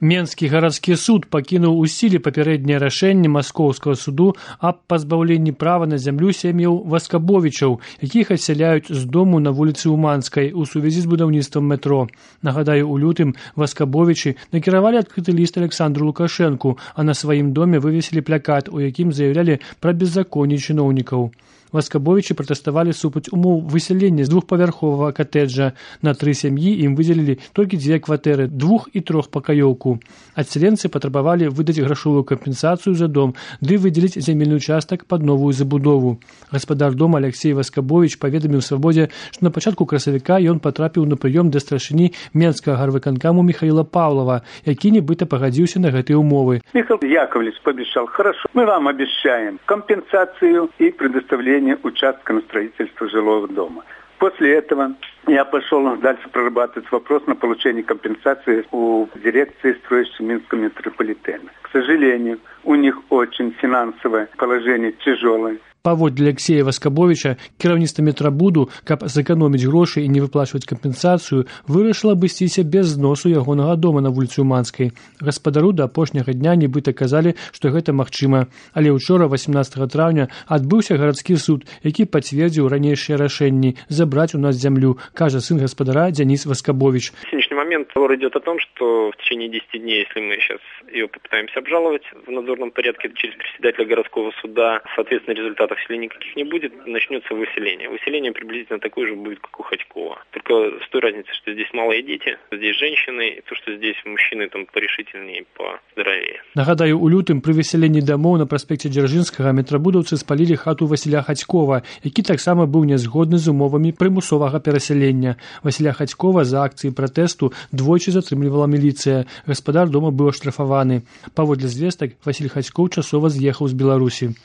Менскі гарадскі суд пакінуў у сіле папярэдняе рашэнне маскоўскага суду аб пазбаўленні права на зямлю сем'яў Васкабовічаў, якіх адсяляюць з дому на вуліцы Уманскай у сувязі з будаўніцтвам метро. Нагадаю, у лютым Васкабовічы накіравалі адкрыты ліст Александру Лукашэнку, а на сваім доме вывесілі плакат, у якім заявлялі пра беззаконне чыноўнікаў. Васкабовічы пратэставалі супраць умоў высялення з двухпавярховага катэджа. На 3 сям'і ім выдзелілі толькі 2 кватэры, 2- і 3-пакаёўку. Адсяленцы патрабавалі выдаць грашовую кампенсацыю за дом, ды выдзеліць зямельны участак пад новую забудову. Гаспадар дома Алексей Васкабовіч паведаміў Свабодзе, што на пачатку красавіка ён патрапіў на прыём да старшыні Менскага гарвыканкаму Михаила Павлова, які нібыта пагадзіўся на гэтыя умовы. Михаил Яковлевич пообещал: хорошо, мы вам обещаем компенсацию и предоставление участка на строительство жилого дома. После этого я пошел дальше прорабатывать вопрос на получение компенсации у дирекции строящей Минского метрополитена. К сожалению, у них очень финансовое положение тяжелое. Паводле Алексея Васкабовіча, кіраўніцтва метрабуду, каб зэканоміць грошы і не выплачваць кампенсацыю, вырашыла абысціся без зносу ягонага дома на вуліцы Уманскай. Гаспадару да апошняга дня нібыта казалі, што гэта магчыма. Але ўчора, 18 траўня, адбыўся гарадскі суд, які пацвердзіў ранейшыя рашэнні забраць у нас зямлю, кажа сын гаспадара Денис Васкабович. В сегодняшний момент разговор идет о том, что в течение 10 дней, если мы сейчас ее попытаемся обжаловать в надзорном порядке через председателя городского суда, соответственно, результатов вселения никаких не будет, начнется выселение. Выселение приблизительно такое же будет, как у Ходькова. Только с той разницей, что здесь малые дети, здесь женщины, и то, что здесь мужчины там порешительнее и поздоровее. Нагадаю, у лютым пры выселенні дамоў на праспекце Дзяржынскага метрабудаўцы спалілі хату Васіля Ходькова, які таксама быў нязгодны з умовамі прымусовага перасялення. Васіля Ходькова за акцыі пратэсту двойчы затрымлівала міліцыя. Гаспадар дома быў аштрафаваны. Паводле звестак, Васіль Ходьков часова з'ехаў з Беларусі.